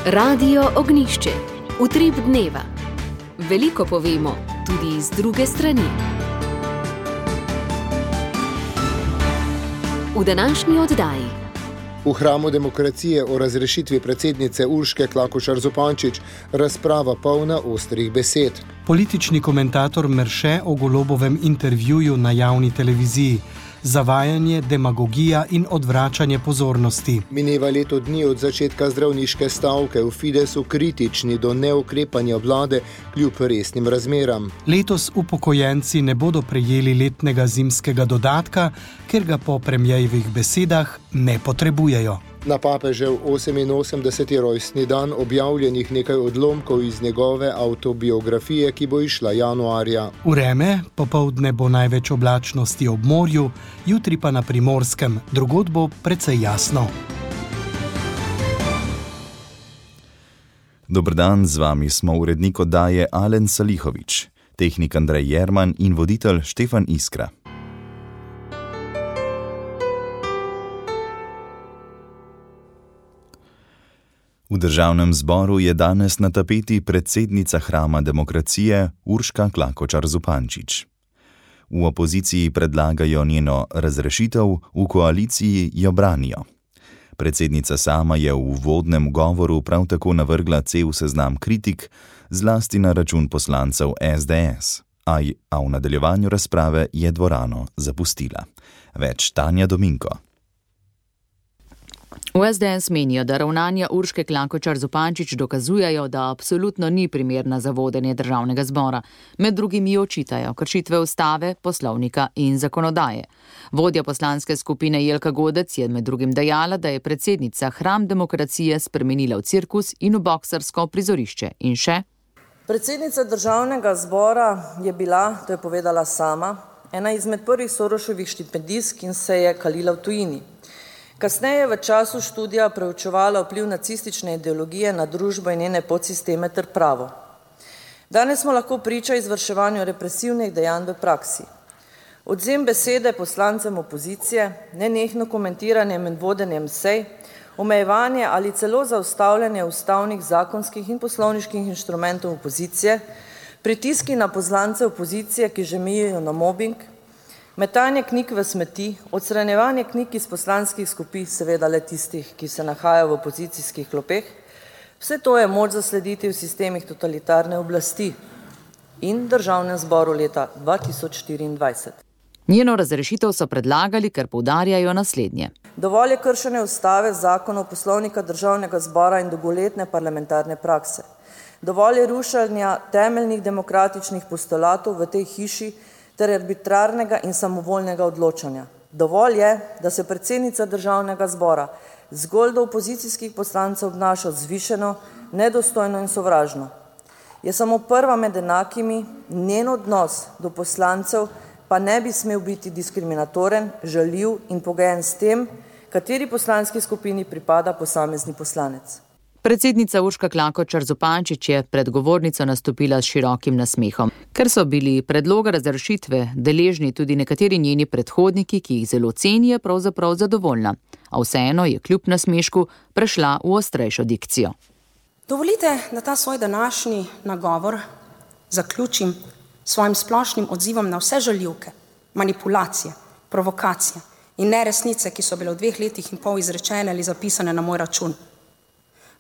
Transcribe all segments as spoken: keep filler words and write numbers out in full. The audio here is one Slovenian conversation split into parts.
Radio Ognišče, utrip dneva. Veliko povemo, tudi iz druge strani. V današnji oddaji. V hramu demokracije o razrešitvi predsednice Urške Klakočar Zupančič razprava polna ostrih besed. Politični komentator Merše o Golobovem intervjuju na javni televiziji. Zavajanje, demagogija in odvračanje pozornosti. Mineva leto dni od začetka zdravniške stavke, v Fidesu kritični do neukrepanja vlade kljub resnim razmeram. Letos upokojenci ne bodo prejeli letnega zimskega dodatka, ker ga po premierjevih besedah ne potrebujejo. Na papežev oseminosemdeseti rojstni dan objavljenih nekaj odlomkov iz njegove avtobiografije, ki bo išla januarja. Vreme, popoldne bo največ oblačnosti ob morju, jutri pa na Primorskem, drugod bo precej jasno. Dober dan, z vami smo urednik oddaje Alen Salihovič, tehnik Andrej Jerman in voditelj Štefan Iskra. V državnem zboru je danes na tapeti predsednica hrama demokracije Urška Klakočar Zupančič. V opoziciji predlagajo njeno razrešitev, v koaliciji jo branijo. Predsednica sama je v uvodnem govoru prav tako navrgla cel seznam kritik, zlasti na račun poslancev es de es, a v nadaljevanju razprave je dvorano zapustila. Več Tanja Dominko. V es de es menijo, da ravnanja Urške Klakočar Zupančič dokazujejo, da absolutno ni primerna za vodenje državnega zbora. Med drugim ji očitajo kršitve ustave, poslovnika in zakonodaje. Vodja poslanske skupine Jelka Godec je med drugim dejala, da je predsednica hram demokracije spremenila v cirkus in v boksarsko prizorišče. In še? Predsednica državnega zbora je bila, to je povedala sama, ena izmed prvih Soroševih štipendistk in se je kalila v tujini. Kasneje v času študija preučevala vpliv nacistične ideologije na družbo in njene podsisteme ter pravo. Danes smo lahko priča izvrševanju represivnih dejanj v praksi. Odvzem besede poslancem opozicije, nenehno komentiranje med vodenjem sej, omejevanje ali celo zaustavljanje ustavnih, zakonskih in poslovniških inštrumentov opozicije, pritiski na poslance opozicije, ki že mejijo na mobing, metanje knjig v smeti, odstranjevanje knjig iz poslanskih skupin, seveda le tistih, ki se nahajajo v opozicijskih klopeh, vse to je moč zaslediti v sistemih totalitarne oblasti in državnem zboru leta dva tisoč štiriindvajset. Njeno razrešitev so predlagali, ker poudarjajo naslednje. Dovolj je kršenje ustave, zakonov, poslovnika državnega zbora in dolgoletne parlamentarne prakse. Dovolj je rušenja temeljnih demokratičnih postulatov v tej hiši ter arbitrarnega in samovoljnega odločanja. Dovolj je, da se predsednica državnega zbora zgolj do opozicijskih poslancev obnaša vzvišeno, nedostojno in sovražno. Je samo prva med enakimi, njen odnos do poslancev pa ne bi smel biti diskriminatoren, žaljiv in pogojen s tem, kateri poslanski skupini pripada posamezni poslanec. Predsednica Urška Klakočar Zupančič je pred govornico nastopila s širokim nasmehom. Ker so bili predloga razrešitve deležni tudi nekateri njeni predhodniki, ki jih zelo ceni, je pravzaprav zadovoljna. A vseeno je kljub nasmešku prešla v ostrejšo dikcijo. Dovolite, da ta svoj današnji nagovor zaključim svojim splošnim odzivom na vse žaljivke, manipulacije, provokacije in neresnice, ki so bile v dveh letih in pol izrečene ali zapisane na moj račun.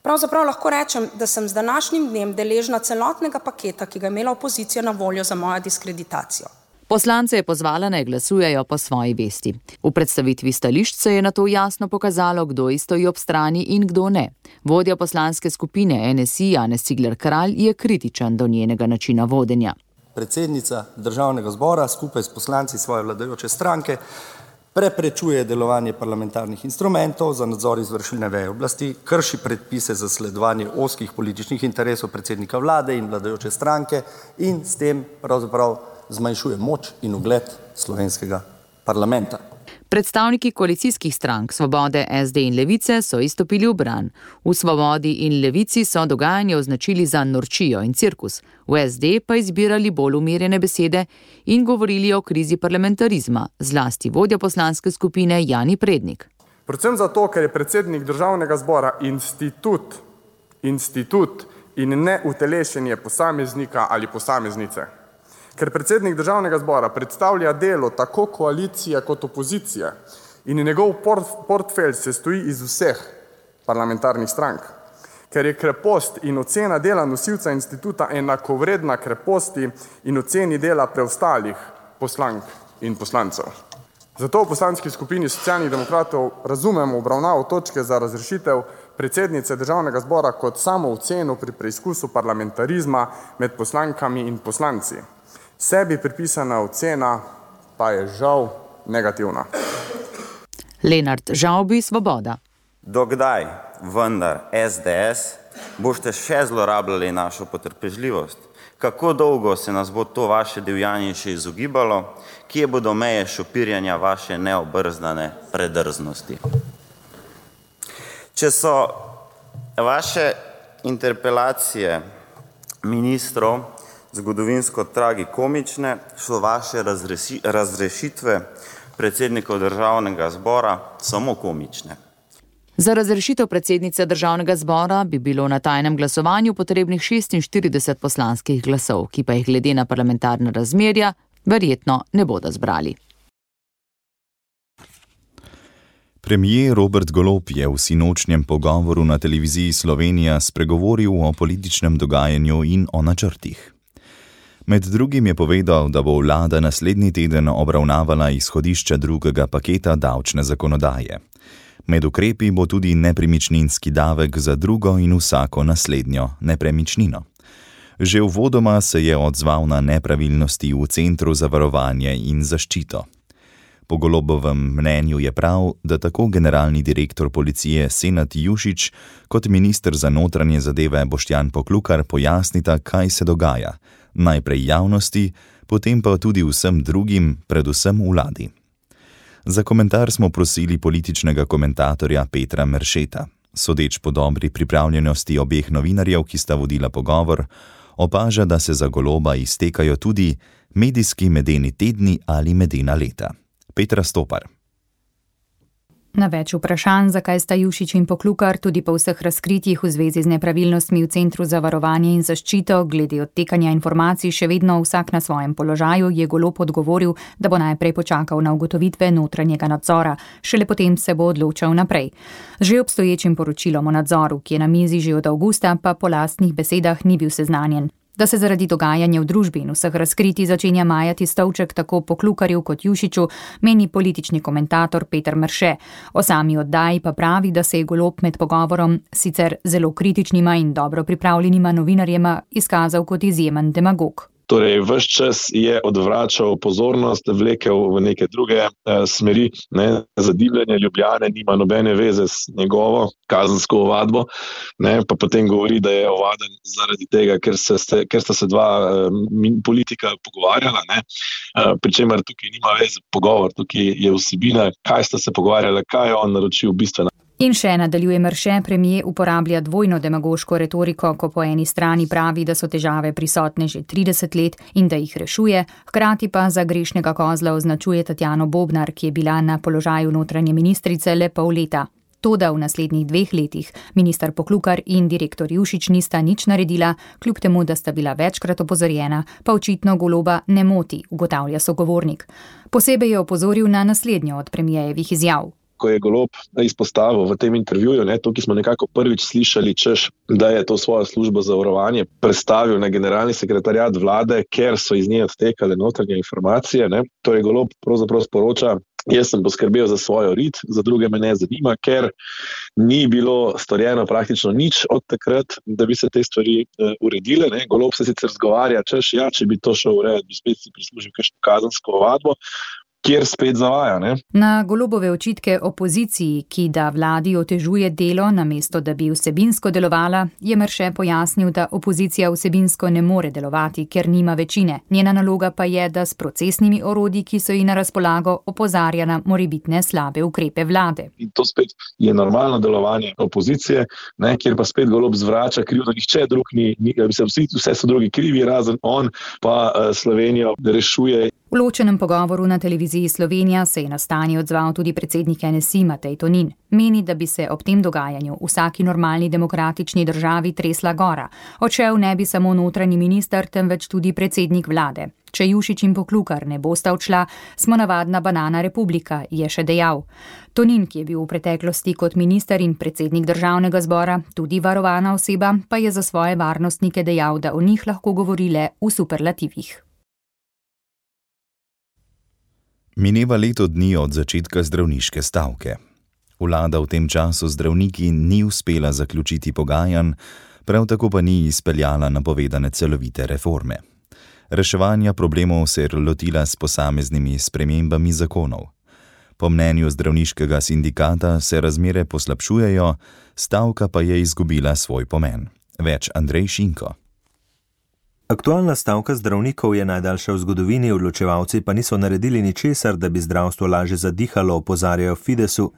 Pravzaprav lahko rečem, da sem z današnjim dnem deležna celotnega paketa, ki ga je imela opozicija na voljo za mojo diskreditacijo. Poslance je pozvala, naj glasujejo po svoji vesti. V predstavitvi stališč se je nato jasno pokazalo, kdo stoji ob strani in kdo ne. Vodja poslanske skupine en es i Janez Cigler Kralj je kritičen do njenega načina vodenja. Predsednica državnega zbora skupaj s poslanci svoje vladajoče stranke preprečuje delovanje parlamentarnih instrumentov za nadzor izvršilne veje oblasti, krši predpise za sledovanje ozkih političnih interesov predsednika vlade in vladajoče stranke in s tem pravzaprav zmanjšuje moč in ugled slovenskega parlamenta. Predstavniki koalicijskih strank Svobode, es de in Levice so izstopili v bran. V Svobodi in Levici so dogajanje označili za norčijo in cirkus, v es de pa izbirali bolj umirjene besede in govorili o krizi parlamentarizma, zlasti vodja poslanske skupine Jani Prednik. Predvsem zato, ker je predsednik državnega zbora institut institut in ne utelešenje posameznika ali posameznice. Ker predsednik Državnega zbora predstavlja delo tako koalicije kot opozicije in njegov portfelj se stoji iz vseh parlamentarnih strank. Ker je krepost in ocena dela nosilca instituta enakovredna kreposti in oceni dela preostalih poslank in poslancev. Zato v poslanski skupini Socialnih demokratov razumemo obravnavo točke za razrešitev predsednice Državnega zbora kot samo oceno pri preizkusu parlamentarizma med poslankami in poslanci. Sebi pripisana ocena pa je žal negativna. Lenart Žavbi, Svoboda. Dokdaj, vendar S D S, boste še zlorabljali našo potrpežljivost? Kako dolgo se nas bo to vaše divjanje še izogibalo? Kje bodo meje šopirjanja vaše neobrzdane predrznosti? Če so vaše interpelacije ministrov zgodovinsko tragikomične, so vaše razreši, razrešitve predsednikov Državnega zbora samo komične. Za razrešitev predsednice Državnega zbora bi bilo na tajnem glasovanju potrebnih šestinštirideset poslanskih glasov, ki pa jih glede na parlamentarna razmerja verjetno ne bodo zbrali. Premier Robert Golob je v sinočnjem pogovoru na televiziji Slovenija spregovoril o političnem dogajanju in o načrtih. Med drugim je povedal, da bo vlada naslednji teden obravnavala izhodišče drugega paketa davčne zakonodaje. Med ukrepi bo tudi nepremičninski davek za drugo in vsako naslednjo nepremičnino. Že uvodoma se je odzval na nepravilnosti v Centru za varovanje in zaščito. Po Golobovem mnenju je prav, da tako generalni direktor policije Senad Jušić kot minister za notranje zadeve Boštjan Poklukar pojasnita, kaj se dogaja, najprej javnosti, potem pa tudi vsem drugim, predvsem vladi. Za komentar smo prosili političnega komentatorja Petra Meršeta. Sodeč po dobri pripravljenosti obeh novinarjev, ki sta vodila pogovor, opaža, da se za Goloba iztekajo tudi medijski medeni tedni ali medena leta. Petra Stopar. Na več vprašanj, zakaj sta Jušić in Poklukar tudi po vseh razkritjih v zvezi z nepravilnostmi v Centru za varovanje in zaščito glede odtekanja informacij še vedno vsak na svojem položaju, je Golob odgovoril, da bo najprej počakal na ugotovitve notranjega nadzora, šele potem se bo odločal naprej. Že obstoječim poročilom o nadzoru, ki je na mizi že od avgusta, pa po lastnih besedah ni bil seznanjen. Da se zaradi dogajanja v družbi in vseh razkritij začenja majati stolček tako Poklukarju kot Jušiću, meni politični komentator Peter Merše. O sami oddaji pa pravi, da se je Golob med pogovorom sicer zelo kritičnima in dobro pripravljenima novinarjema izkazal kot izjemen demagog. Torej, ves čas je odvračal pozornost, vlekel v neke druge eh, smeri, ne, zadivljanje Ljubljane nima nobene veze s njegovo kazensko ovadbo, ne, pa potem govori, da je ovaden zaradi tega, ker, se, ker sta se dva eh, politika pogovarjala, ne, eh, pri čemer tukaj nima veze pogovor, tukaj je vsebina, kaj sta se pogovarjala, kaj je on naročil bistveno. In še nadaljuje Merše, premier uporablja dvojno demagoško retoriko, ko po eni strani pravi, da so težave prisotne že trideset let in da jih rešuje, hkrati pa za grešnega kozla označuje Tatjano Bobnar, ki je bila na položaju notranje ministrice le pol leta. Toda v naslednjih dveh letih minister Poklukar in direktor Jušić nista nič naredila, kljub temu, da sta bila večkrat opozorjena, pa očitno Goloba ne moti, ugotavlja sogovornik. Posebej je opozoril na naslednjo od premijejevih izjav. Ko je Golob izpostavil v tem intervjuju, ne, tukaj smo nekako prvič slišali, češ, da je to svojo službo za varovanje predstavil na generalni sekretariat vlade, ker so iz nje odtekale notranje informacije. Ne. Torej Golob pravzaprav sporoča, jaz sem poskrbel za svojo rit, za druge me ne zanima, ker ni bilo storjeno praktično nič od takrat, da bi se te stvari uh, uredile. Ne. Golob se sicer zgovarja, češ, ja, če bi to šel urejati, bi spet si prislužil kakšno kazensko ovadbo, kjer spet zavaja. Ne? Na Golobove očitke opoziciji, ki da vladi otežuje delo, namesto da bi vsebinsko delovala, je Merše pojasnil, da opozicija vsebinsko ne more delovati, ker nima večine. Njena naloga pa je, da s procesnimi orodji, ki so ji na razpolago, opozarja na morebitne slabe ukrepe vlade. In to spet je normalno delovanje opozicije, ne, kjer pa spet Golob zvrača krivdo, nihče drug ni, ni vsi, vse so drugi krivi, razen on pa uh, Slovenijo rešuje. V ločenem pogovoru na televiziji televiziji Slovenija se je na stanje odzval tudi predsednik N S I Matej Tonin. Meni, da bi se ob tem dogajanju v vsaki normalni demokratični državi tresla gora. Odšel ne bi samo notranji minister, temveč tudi predsednik vlade. Če Jušić in Poklukar ne bosta odšla, smo navadna banana republika, je še dejal. Tonin, ki je bil v preteklosti kot minister in predsednik državnega zbora, tudi varovana oseba, pa je za svoje varnostnike dejal, da o njih lahko govori le v superlativih. Mineva leto dni od začetka zdravniške stavke. Vlada v tem času zdravniki ni uspela zaključiti pogajanj, prav tako pa ni izpeljala napovedane celovite reforme. Reševanja problemov se je lotila s posameznimi spremembami zakonov. Po mnenju zdravniškega sindikata se razmere poslabšujejo, stavka pa je izgubila svoj pomen. Več Andrej Šinko. Aktualna stavka zdravnikov je najdaljša v zgodovini, odločevalci pa niso naredili ničesar, da bi zdravstvo lažje zadihalo, opozarjajo Fidesu.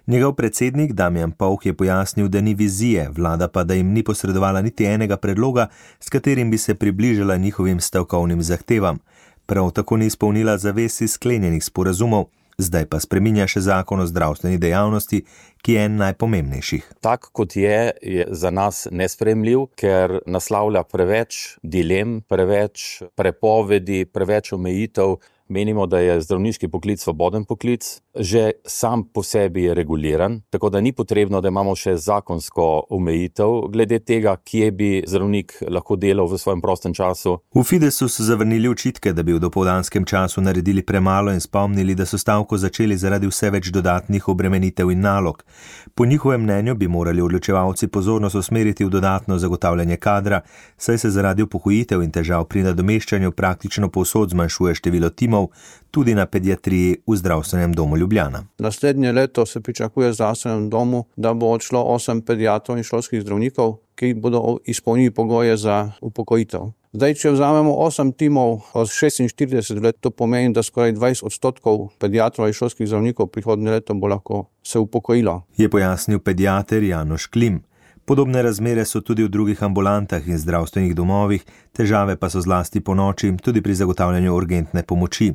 Njegov predsednik Damjan Povh je pojasnil, da ni vizije, vlada pa da jim ni posredovala niti enega predloga, s katerim bi se približala njihovim stavkovnim zahtevam. Prav tako ni izpolnila zavez iz sklenjenih sporazumov. Zdaj pa spreminja še zakon o zdravstveni dejavnosti, ki je en najpomembnejših. Tak, kot je, je za nas nesprejemljiv, ker naslavlja preveč dilem, preveč prepovedi, preveč omejitev. Menimo, da je zdravniški poklic svoboden poklic, že sam po sebi je reguliran, tako da ni potrebno, da imamo še zakonsko omejitev glede tega, kje bi zdravnik lahko delal v svojem prostem času. V Fidesu so zavrnili očitke, da bi v dopoldanskem času naredili premalo in spomnili, da so stavko začeli zaradi vse več dodatnih obremenitev in nalog. Po njihovem mnenju bi morali odločevalci pozornost usmeriti v dodatno zagotavljanje kadra, saj se zaradi upokojitev in težav pri nadomeščanju praktično povsod zmanjšuje število timov, tudi na pediatriji v zdravstvenem domu Ljubljana. Naslednje leto se pričakuje v zdravstvenem domu, da bo odšlo osem pediatrov in šolskih zdravnikov, ki bodo izpolnili pogoje za upokojitev. Zdaj, če vzamemo osem timov od šestinštirideset let, to pomeni, da skoraj dvajset odstotkov pediatrov in šolskih zdravnikov prihodnje leto bo lahko se upokojilo. Je pojasnil pediater Janoš Klim. Podobne razmere so tudi v drugih ambulantah in zdravstvenih domovih, težave pa so zlasti po noči, tudi pri zagotavljanju urgentne pomoči.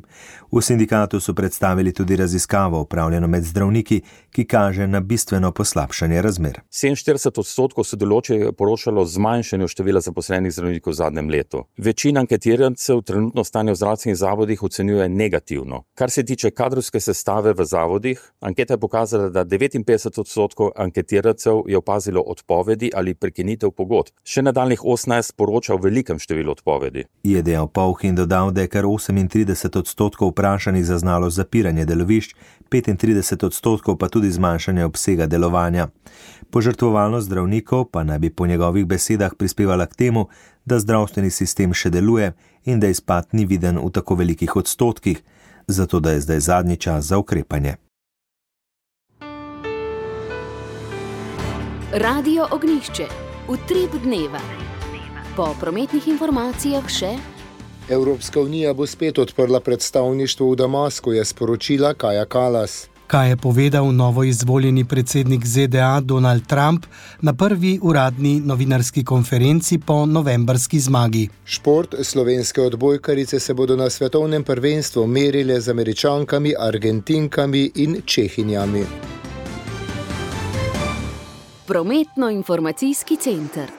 V sindikatu so predstavili tudi raziskavo, opravljeno med zdravniki, ki kaže na bistveno poslabšanje razmer. sedeminštirideset odstotkov sodelujočih je poročalo zmanjšanju števila zaposlenih zdravnikov v zadnjem letu. Večina anketirancev trenutno stanje v zdravstvenih zavodih ocenjuje negativno. Kar se tiče kadrovske sestave v zavodih, anketa je pokazala, da devetinpetdeset odstotkov anketirancev je opazilo odpoved ali prekinitev pogodb. Še nadaljnjih osemnajst poroča o velikem številu odpovedi. Je dejal Povh in dodal, da je kar osemintrideset odstotkov vprašanih zaznalo zapiranje delovišč, petintrideset odstotkov pa tudi zmanjšanje obsega delovanja. Požrtvovalnost zdravnikov pa naj bi po njegovih besedah prispevala k temu, da zdravstveni sistem še deluje in da izpad ni viden v tako velikih odstotkih, zato da je zdaj zadnji čas za ukrepanje. Radio Ognjišče, utrip dneva. Po prometnih informacijah še: Evropska unija bo spet odprla predstavništvo v Damasku, je sporočila Kaja Kallas. Kaj je povedal novoizvoljeni predsednik Z D A Donald Trump na prvi uradni novinarski konferenci po novembrski zmagi. Šport, slovenske odbojkarice se bodo na svetovnem prvenstvu merile z Američankami, Argentinkami in Čehinjami. Prometno-informacijski center.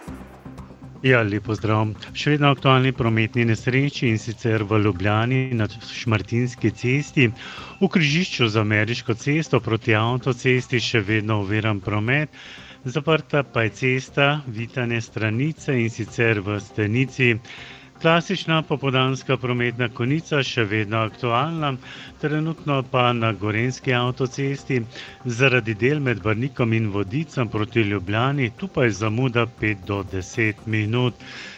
Ja, lepo zdrav. Še vedno aktualni prometni nesreči, in sicer v Ljubljani na Šmartinski cesti. V križišču z Ameriško cesto proti avtocesti še vedno oviran promet. Zaprta pa je cesta Vitane Stranice, in sicer v Stenici. Klasična popoldanska prometna konica še vedno aktualna, trenutno pa na Gorenjski avtocesti zaradi del med Brnikom in Vodicem proti Ljubljani, tu pa je zamuda pet do deset minut.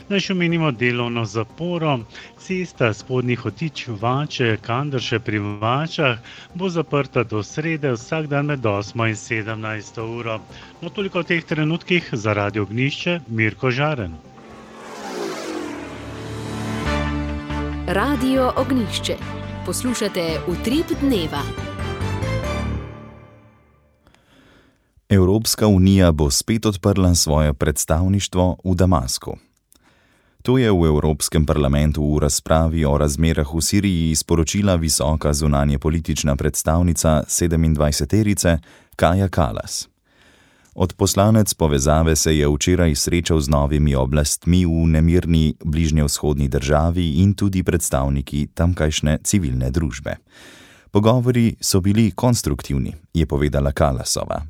Naj še omenimo delovno zaporo. Cesta Spodnji Hotič Vače, Kandrše pri Vačah bo zaprta do srede vsak dan med osmo in sedemnajsto uro. No, toliko v teh trenutkih. Za Radio Ognjišče, Mirko Žaren. Radio Ognjišče. Poslušate Utrip dneva. Evropska unija bo spet odprla svoje predstavništvo v Damasku. To je v Evropskem parlamentu v razpravi o razmerah v Siriji sporočila visoka zunanjepolitična predstavnica sedemindvajseterice Kaja Kallas. Odposlanec povezave se je včeraj srečal z novimi oblastmi v nemirni bližnjevzhodni državi in tudi predstavniki tamkajšnje civilne družbe. Pogovori so bili konstruktivni, je povedala Kallasova.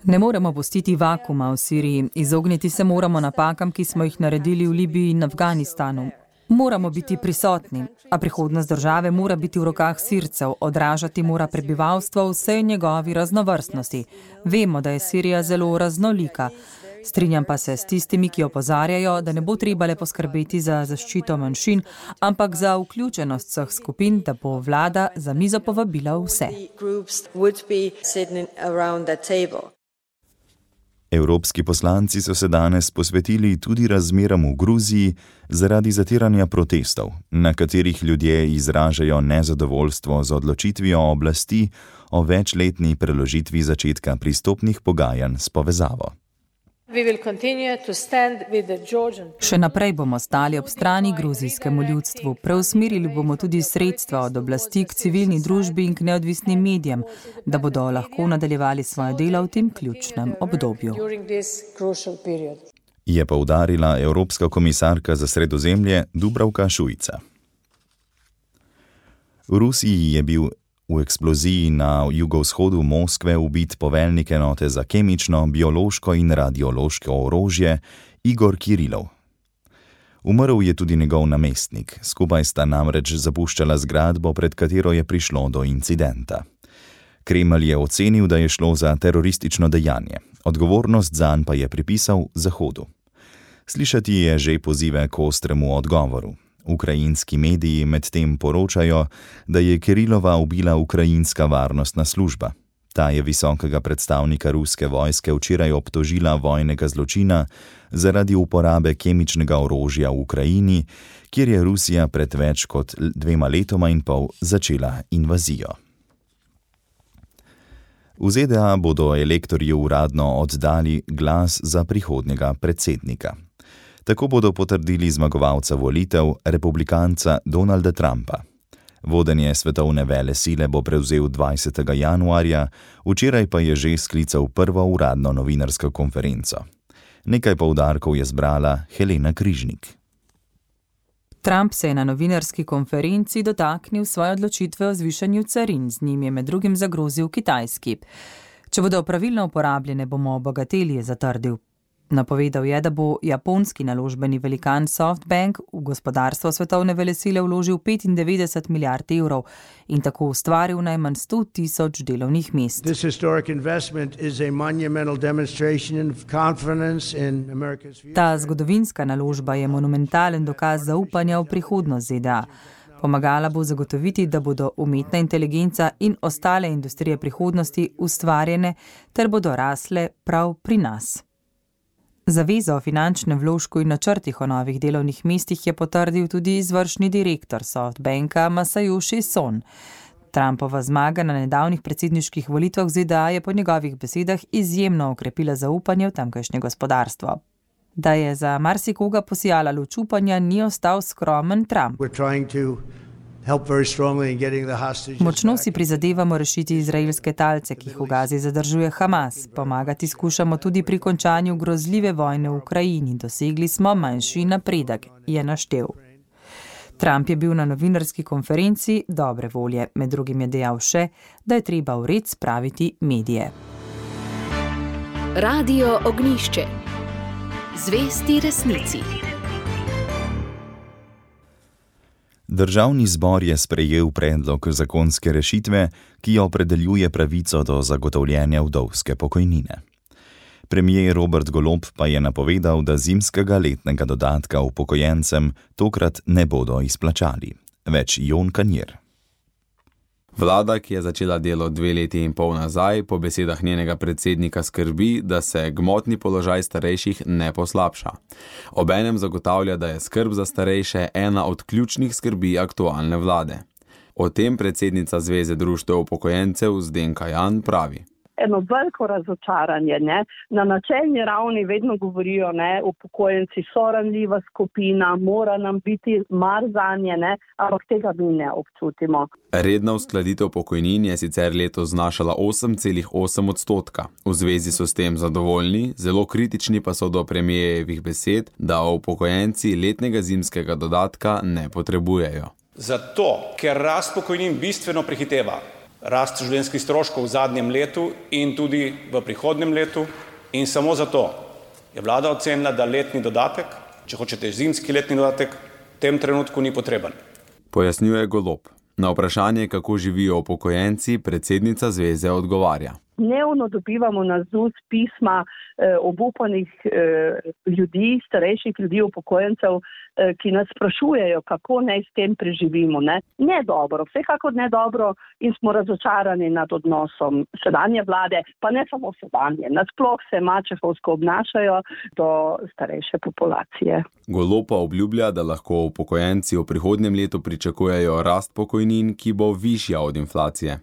Ne moremo pustiti vakuma v Siriji, izogniti se moramo napakam, ki smo jih naredili v Libiji in Afganistanu. Moramo biti prisotni, a prihodnost države mora biti v rokah Sircev, odražati mora prebivalstvo v vsej njegovi raznovrstnosti. Vemo, da je Sirija zelo raznolika. Strinjam pa se s tistimi, ki opozarjajo, da ne bo treba le poskrbeti za zaščito manjšin, ampak za vključenost vseh skupin, da bo vlada za mizo povabila vse. Evropski poslanci so se danes posvetili tudi razmeram v Gruziji zaradi zatiranja protestov, na katerih ljudje izražajo nezadovoljstvo z odločitvijo oblasti o večletni preložitvi začetka pristopnih pogajanj s povezavo. Še naprej bomo stali ob strani gruzijskemu ljudstvu. Preusmerili bomo tudi sredstva od oblasti k civilni družbi in k neodvisnim medijem, da bodo lahko nadaljevali svoje delo v tem ključnem obdobju. Je poudarila Evropska komisarka za Sredozemlje Dubravka Šuica. V Rusiji je bil v eksploziji na jugovzhodu Moskve ubit poveljnik enote za kemično, biološko in radiološko orožje Igor Kirilov. Umrl je tudi njegov namestnik, skupaj sta namreč zapuščala zgradbo, pred katero je prišlo do incidenta. Kremelj je ocenil, da je šlo za teroristično dejanje, odgovornost zanj pa je pripisal Zahodu. Slišati je že pozive k ostremu odgovoru. Ukrajinski mediji medtem poročajo, da je Kirilova ubila ukrajinska varnostna služba. Ta je visokega predstavnika ruske vojske včeraj obtožila vojnega zločina zaradi uporabe kemičnega orožja v Ukrajini, kjer je Rusija pred več kot dvema letoma in pol začela invazijo. V Z D A bodo elektorji uradno oddali glas za prihodnjega predsednika. Tako bodo potrdili zmagovalca volitev, republikanca Donalda Trumpa. Vodenje svetovne velesile bo prevzel dvajsetega januarja, včeraj pa je že sklical prvo uradno novinarsko konferenco. Nekaj poudarkov je zbrala Helena Križnik. Trump se je na novinarski konferenci dotaknil svoje odločitve o zvišanju carin, z njim je med drugim zagrozil Kitajski. Če bodo pravilno uporabljene, bomo obogateli, je zatrdil. Napovedal je, da bo japonski naložbeni velikan SoftBank v gospodarstvo svetovne velesile vložil petindevetdeset milijard evrov in tako ustvaril najmanj sto tisoč delovnih mest. Ta zgodovinska naložba je monumentalen dokaz zaupanja v prihodnost Z D A. Pomagala bo zagotoviti, da bodo umetna inteligenca in ostale industrije prihodnosti ustvarjene ter bodo rasle prav pri nas. Zavezo o finančnem vložku in načrtih o novih delovnih mestih je potrdil tudi izvršni direktor SoftBanka Masayoshi Son. Trumpova zmaga na nedavnih predsedniških volitvah v Z D A je po njegovih besedah izjemno okrepila zaupanje v tamkajšnje gospodarstvo. Da je za marsikoga posijala luč upanja, ni ostal skromen Trump. Močno si prizadevamo rešiti izraelske talce, ki jih v Gazi zadržuje Hamas. Pomagati skušamo tudi pri končanju grozljive vojne v Ukrajini. Dosegli smo manjši napredek, je naštel. Trump je bil na novinarski konferenci dobre volje. Med drugim je dejal še, da je treba v red spraviti medije. Radio Ognjišče. Zvesti resnici. Državni zbor je sprejel predlog zakonske rešitve, ki opredeljuje pravico do zagotovljenja vdovske pokojnine. Premier Robert Golob pa je napovedal, da zimskega letnega dodatka upokojencem tokrat ne bodo izplačali. Več Jon Kanjer. Vlada, ki je začela delo dve leti in pol nazaj, po besedah njenega predsednika skrbi, da se gmotni položaj starejših ne poslabša. Obenem zagotavlja, da je skrb za starejše ena od ključnih skrbi aktualne vlade. O tem predsednica Zveze društev upokojencev Zdenka Jan pravi. eno veliko razočaranje. Ne. Na načelni ravni vedno govorijo, ne, upokojenci so ranljiva skupina, mora nam biti mar zanje, ne, ampak tega mi ne občutimo. Redna uskladitev pokojnin je sicer letos znašala osem celih osem odstotka. V zvezi so s tem zadovoljni, zelo kritični pa so do premijejevih besed, da upokojenci letnega zimskega dodatka ne potrebujejo. Zato, ker rast pokojnin bistveno prehiteva rast življenjskih stroškov v zadnjem letu in tudi v prihodnjem letu, in samo zato je vlada ocenila, da letni dodatek, če hočete zimski letni dodatek, v tem trenutku ni potreben. Pojasnjuje Golob. Na vprašanje, kako živijo upokojenci, predsednica zveze odgovarja. Dnevno dobivamo na Z U S pisma eh, obupanih eh, ljudi, starejših ljudi, upokojencev, eh, ki nas sprašujejo, kako naj s tem preživimo. Ne, ne dobro, vsekakor ne dobro in smo razočarani nad odnosom sedanje vlade, pa ne samo sedanje. Nasploh se mačehovsko obnašajo do starejše populacije. Golob pa obljublja, da lahko upokojenci v prihodnjem letu pričakujejo rast pokojnin, ki bo višja od inflacije.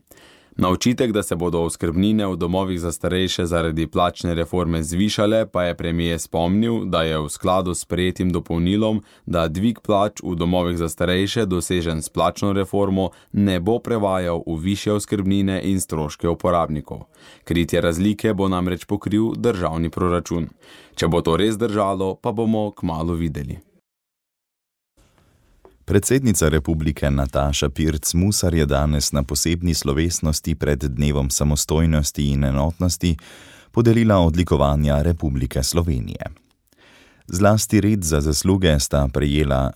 Na očitek, da se bodo oskrbnine v domovih za starejše zaradi plačne reforme zvišale, pa je premijer spomnil, da je v skladu s sprejetim dopolnilom, da dvig plač v domovih za starejše dosežen s plačno reformo ne bo prevajal v višje oskrbnine in stroške uporabnikov. Kritje razlike bo namreč pokril državni proračun. Če bo to res držalo, pa bomo kmalu videli. Predsednica republike Nataša Pirc Musar je danes na posebni slovesnosti pred Dnevom samostojnosti in enotnosti podelila odlikovanja Republike Slovenije. Zlasti red za zasluge sta prejela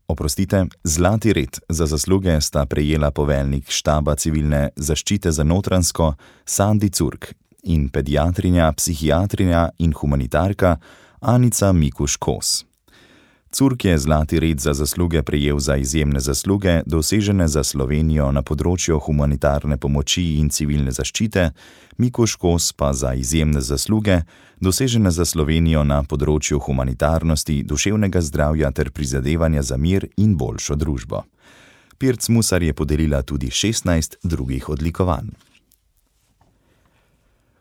Oprostite, zlati red za zasluge sta prejela poveljnik štaba civilne zaščite za Notranjsko Sandi Curk in pediatrinja, psihiatrinja in humanitarka Anica Mikuš-Kos. Curk je zlati red za zasluge prejel za izjemne zasluge, dosežene za Slovenijo na področju humanitarne pomoči in civilne zaščite, Mikuš-Kos pa za izjemne zasluge, dosežene za Slovenijo na področju humanitarnosti, duševnega zdravja ter prizadevanja za mir in boljšo družbo. Pirc Musar je podelila tudi šestnajst drugih odlikovanj.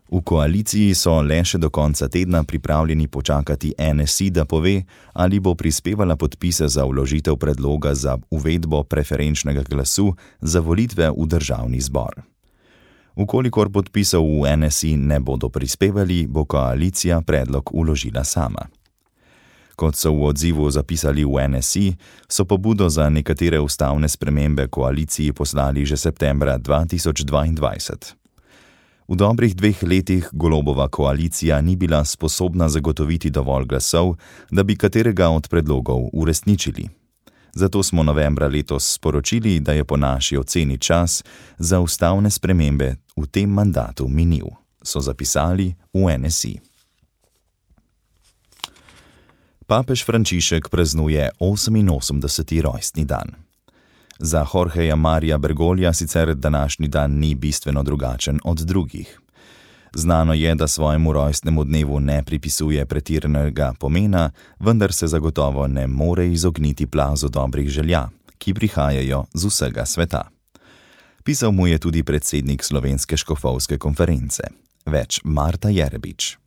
V koaliciji so le še do konca tedna pripravljeni počakati N S I, da pove, ali bo prispevala podpise za vložitev predloga za uvedbo preferenčnega glasu za volitve v državni zbor. Vkolikor podpisov v N S I ne bodo prispevali, bo koalicija predlog vložila sama. Kot so v odzivu zapisali v N S I, so pobudo za nekatere ustavne spremembe koaliciji poslali že septembra dva tisoč dvaindvajset. V dobrih dveh letih Golobova koalicija ni bila sposobna zagotoviti dovolj glasov, da bi katerega od predlogov uresničili. Zato smo novembra letos sporočili, da je po naši oceni čas za ustavne spremembe v tem mandatu minil, so zapisali v N S I. Papež Frančišek praznuje oseminosemdeseti rojstni dan. Za Jorgeja Marija Bergolja sicer današnji dan ni bistveno drugačen od drugih. Znano je, da svojemu rojstnemu dnevu ne pripisuje pretiranega pomena, vendar se zagotovo ne more izogniti plazu dobrih želja, ki prihajajo z vsega sveta. Pisal mu je tudi predsednik Slovenske škofovske konference. Več Marta Jerebič.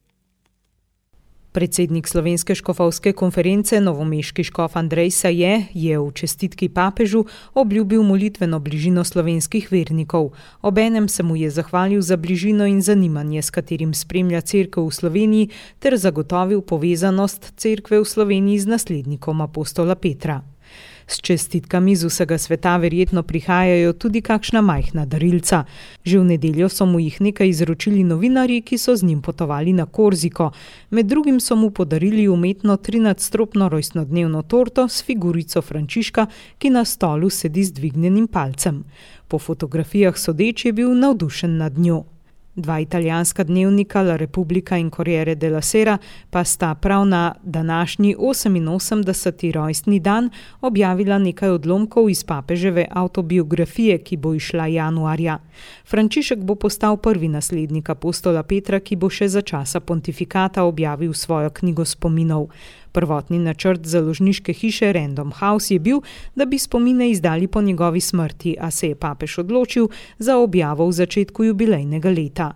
Predsednik Slovenske škofovske konference, novomeški škof Andrej Saje, je v čestitki papežu obljubil molitveno bližino slovenskih vernikov. Obenem se mu je zahvalil za bližino in zanimanje, s katerim spremlja cerkev v Sloveniji, ter zagotovil povezanost cerkve v Sloveniji z naslednikom apostola Petra. S čestitkami z vsega sveta verjetno prihajajo tudi kakšna majhna darilca. Že v nedeljo so mu jih nekaj izročili novinarji, ki so z njim potovali na Korziko. Med drugim so mu podarili umetno trinadstropno rojstnodnevno torto s figurico Frančiška, ki na stolu sedi z dvignjenim palcem. Po fotografijah sodeč je bil navdušen nad njo. Dva italijanska dnevnika, La Repubblica in Corriere della Sera, pa sta prav na današnji oseminosemdeseti rojstni dan objavila nekaj odlomkov iz papeževe avtobiografije, ki bo izšla januarja. Frančišek bo postal prvi naslednik apostola Petra, ki bo še za časa pontifikata objavil svojo knjigo spominov. Prvotni načrt založniške hiše Random House je bil, da bi spomine izdali po njegovi smrti, a se je papež odločil za objavo v začetku jubilejnega leta.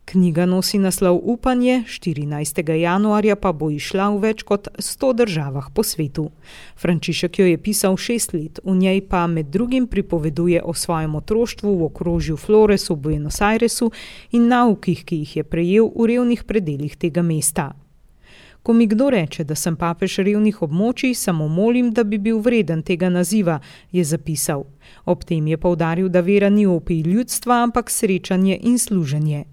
Knjiga nosi naslov Upanje, štirinajstega januarja pa bo izšla v več kot sto državah po svetu. Frančišek jo je pisal šest let, v njej pa med drugim pripoveduje o svojem otroštvu v okrožju Flores v Buenos Airesu in naukih, ki jih je prejel v revnih predelih tega mesta. Ko mi kdo reče, da sem papež revnih območij, samo molim, da bi bil vreden tega naziva, je zapisal. Ob tem je poudaril, da vera ni opij ljudstva, ampak srečanje in služenje.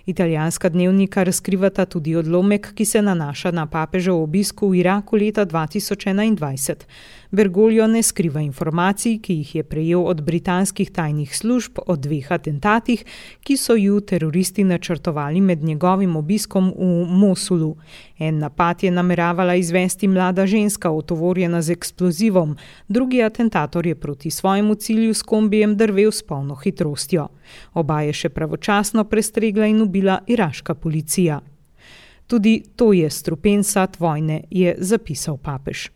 Italijanska dnevnika razkrivata tudi odlomek, ki se nanaša na papežev obisk v Iraku leta dva tisoč enaindvajset. Bergoglio ne skriva informacij, ki jih je prejel od britanskih tajnih služb o dveh atentatih, ki so ju teroristi načrtovali med njegovim obiskom v Mosulu. En napad je nameravala izvesti mlada ženska, otovorjena z eksplozivom, drugi atentator je proti svojemu cilju s kombijem drvel s polno hitrostjo. Oba je še pravočasno prestregla in ubila iraška policija. Tudi to je strupen sad vojne, je zapisal papež.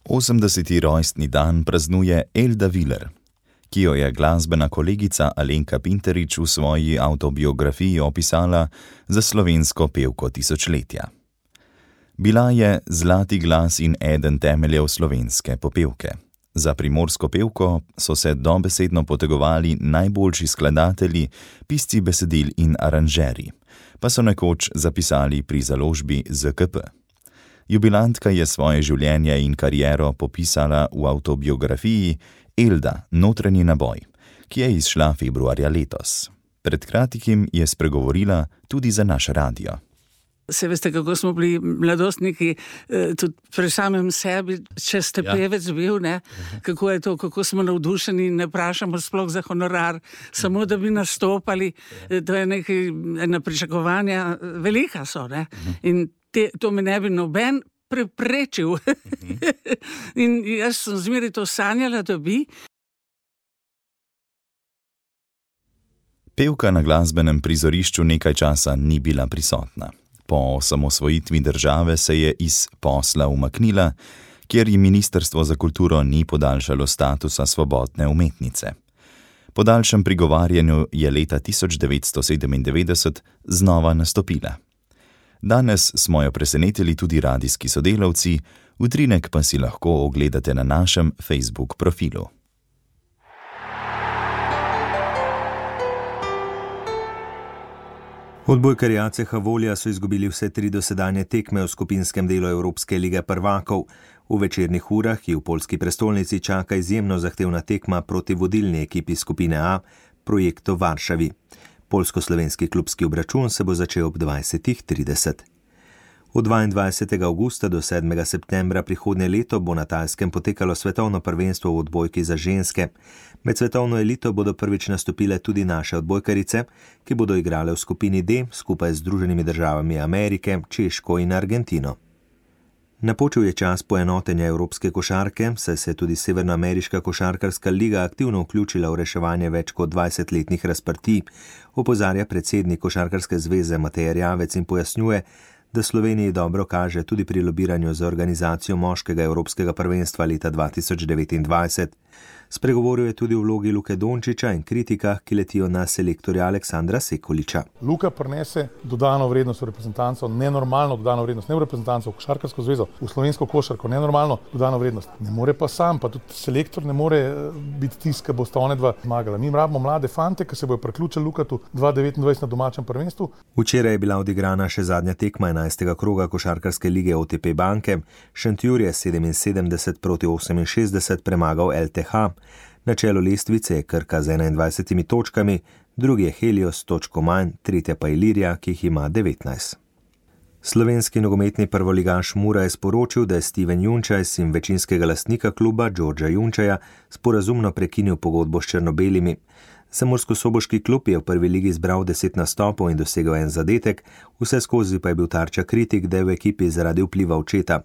osemdeseti rojstni dan praznuje Elda Viler, ki jo je glasbena kolegica Alenka Pinterič v svoji avtobiografiji opisala za slovensko pevko tisočletja. Bila je zlati glas in eden temeljev slovenske popevke. Za primorsko pevko so se dobesedno potegovali najboljši skladatelji, pisci besedil in aranžerji, pa so nekoč zapisali pri založbi Z K P. Jubilantka je svoje življenje in kariero popisala v avtobiografiji Elda, notranji naboj, ki je izšla februarja letos. Pred kratkim je spregovorila tudi za naš radio. Se veste, kako smo bili mladostniki, tudi pri samem sebi, če ste ja. pevec bil, ne? Kako je to, kako smo navdušeni, ne vprašamo sploh za honorar, samo da bi nastopali, to je nekaj, ena pričakovanja, velika so, ne? In te, to me ne bi noben preprečil. In jaz sem zmeraj to sanjala, da bi. Pevka na glasbenem prizorišču nekaj časa ni bila prisotna. Po osamosvojitvi države se je iz posla umaknila, kjer ji Ministrstvo za kulturo ni podaljšalo statusa svobodne umetnice. Po daljšem prigovarjanju je leta tisoč devetsto sedemindevetdeset znova nastopila. Danes smo jo presenetili tudi radijski sodelavci, utrinek pa si lahko ogledate na našem Facebook profilu. Odbojkarji A C H Volja so izgubili vse tri dosedanje tekme v skupinskem delu Evropske lige prvakov. V večernih urah, ki v poljski prestolnici čaka izjemno zahtevna tekma proti vodilni ekipi skupine A, Projektu Varšavi. Poljsko-slovenski klubski obračun se bo začel ob dvajsetih trideset. Od dvaindvajsetega avgusta do sedmega septembra prihodnje leto bo na Tajskem potekalo svetovno prvenstvo v odbojki za ženske. Med svetovno elito bodo prvič nastopile tudi naše odbojkarice, ki bodo igrale v skupini D skupaj z Združenimi državami Amerike, Češko in Argentino. Napočil je čas poenotenja evropske košarke, saj se je tudi Severnoameriška košarkarska liga aktivno vključila v reševanje več kot dvajsetletnih razprtij, opozarja predsednik Košarkarske zveze Matej Erjavec in pojasnjuje, da Sloveniji dobro kaže tudi pri lobiranju za organizacijo moškega evropskega prvenstva leta dva tisoč devetindvajset. Spregovoril je tudi o vlogi Luke Dončića in kritikah, ki letijo na selektorja Aleksandra Sekoliča. Luka prinese dodano vrednost v reprezentanco, nenormalno dodano vrednost, ne v reprezentanco, v košarkarsko zvezo, v slovensko košarko, nenormalno dodano vrednost. Ne more pa sam, pa tudi selektor ne more biti tisk, ki bosta one dva zmagala. Mi rabimo mlade fante, ki se bojo priključili Lukatu dva tisoč devetindvajset na domačem prvenstvu. Včeraj je bila odigrana še zadnja tekma enajstega kroga košarkarske lige O T P banke. Šentjur je sedeminsedemdeset proti oseminšestdeset premagal L T H. Na čelu lestvice je Krka z enaindvajsetimi točkami, drugi je Helios točko manj, tretja pa Ilirija, ki jih ima devetnajst. Slovenski nogometni prvoligaš Mura je sporočil, da je Steven Junčaj, sin večinskega lastnika kluba Đorđa Junčaja, sporazumno prekinil pogodbo s črno-belimi. Murskosoboški klub je v prvi ligi zbral deset nastopov in dosegel en zadetek, vse skozi pa je bil tarča kritik, da je v ekipi zaradi vpliva očeta.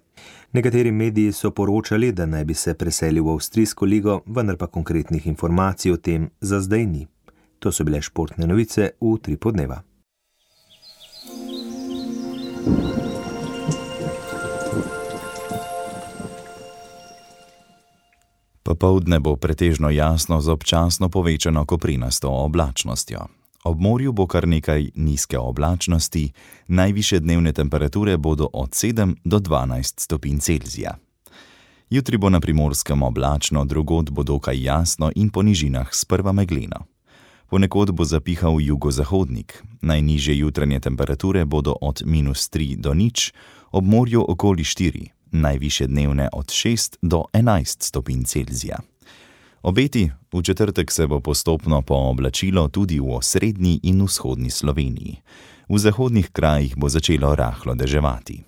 Nekateri mediji so poročali, da naj bi se preselil v avstrijsko ligo, vendar pa konkretnih informacij o tem za zdaj ni. To so bile športne novice v Utripu dneva. Popoldne bo pretežno jasno z občasno povečano koprinasto oblačnostjo. Ob morju bo kar nekaj nizke oblačnosti, najvišje dnevne temperature bodo od sedem do dvanajst stopinj Celzija. Jutri bo na Primorskem oblačno, drugod bo dokaj jasno in po nižinah sprva megleno. Ponekod bo zapihal jugozahodnik, najnižje jutranje temperature bodo od minus tri do nič, ob morju okoli štiri, najvišje dnevne od šest do enajst stopinj Celzija. Obeti, v četrtek se bo postopno pooblačilo tudi v osrednji in vzhodni Sloveniji. V zahodnih krajih bo začelo rahlo deževati.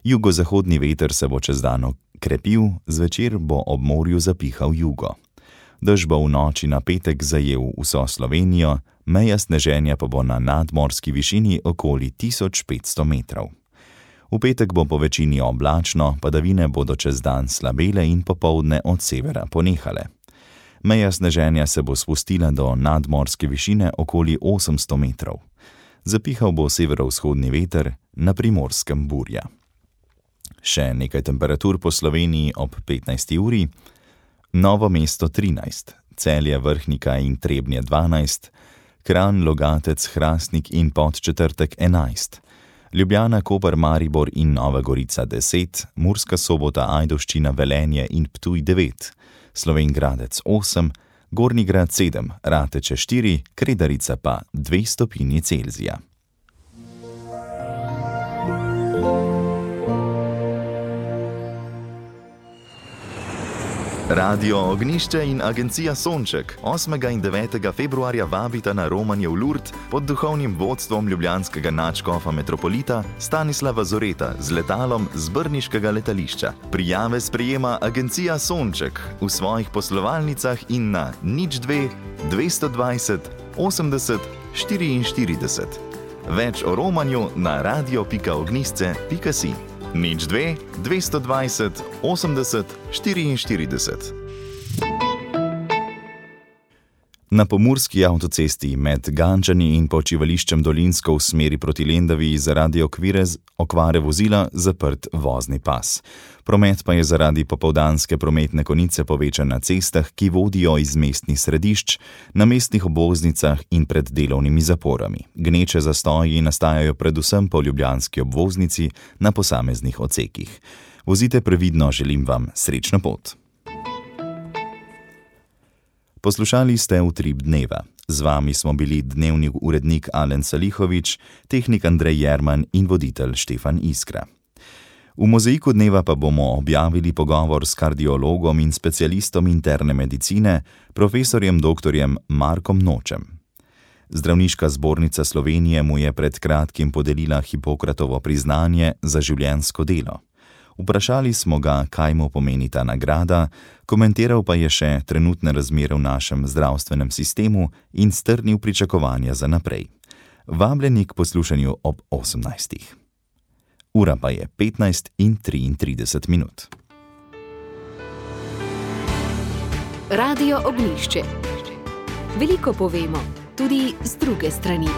Jugozahodni veter se bo čez dan krepil, zvečer bo ob morju zapihal jugo. Dež bo v noči na petek zajel vso Slovenijo, meja sneženja pa bo na nadmorski višini okoli tisoč petsto metrov. V petek bo po večini oblačno, padavine bodo čez dan slabele in popoldne od severa ponehale. Meja sneženja se bo spustila do nadmorske višine okoli osemsto metrov. Zapihal bo severovzhodni veter, na Primorskem burja. Še nekaj temperatur po Sloveniji ob petnajsti uri. Novo mesto trinajst, Celje, Vrhnika in Trebnje dvanajst, Kranj, Logatec, Hrastnik in Podčetrtek enajst, Ljubljana, Koper, Maribor in Nova Gorica deset, Murska Sobota, Ajdovščina, Velenje in Ptuj devet, Slovenj Gradec osem, Gornji Grad sedem, Rateče štiri, Kredarica pa dve stopinji Celzija. Radio Ognjišče in agencija Sonček osmega in devetega februarja vabita na romanje v Lurd pod duhovnim vodstvom ljubljanskega nadškofa metropolita Stanislava Zoreta z letalom z brniškega letališča. Prijave sprejema agencija Sonček v svojih poslovalnicah in na nič dve dvesto dvajset osemdeset štiriinštirideset. Več o romanju na radio pika ognjišče pika si. nič dve dvesto dvajset osemdeset štiriinštirideset. Na pomurski avtocesti med Gančani in počivališčem Dolinsko v smeri proti Lendavi zaradi okvire okvare vozila zaprt vozni pas. Promet pa je zaradi popoldanske prometne konice povečan na cestah, ki vodijo iz mestnih središč, na mestnih obvoznicah in pred delovnimi zaporami. Gneče zastoji nastajajo predvsem po ljubljanski obvoznici na posameznih odsekih. Vozite previdno, želim vam srečno pot. Poslušali ste Utrip dneva. Z vami smo bili dnevni urednik Alen Salihovič, tehnik Andrej Jerman in voditelj Štefan Iskra. V mozaiku dneva pa bomo objavili pogovor s kardiologom in specialistom interne medicine, profesorjem doktorjem Markom Nočem. Zdravniška zbornica Slovenije mu je pred kratkim podelila Hipokratovo priznanje za življenjsko delo. Vprašali smo ga, kaj mu pomeni ta nagrada, komentiral pa je še trenutne razmere v našem zdravstvenem sistemu in strnil pričakovanja za naprej. Vabljeni k poslušanju ob osemnajstih. Ura pa je petnajst in triintrideset minut. Radio Ognjišče. Veliko povemo, tudi z druge strani.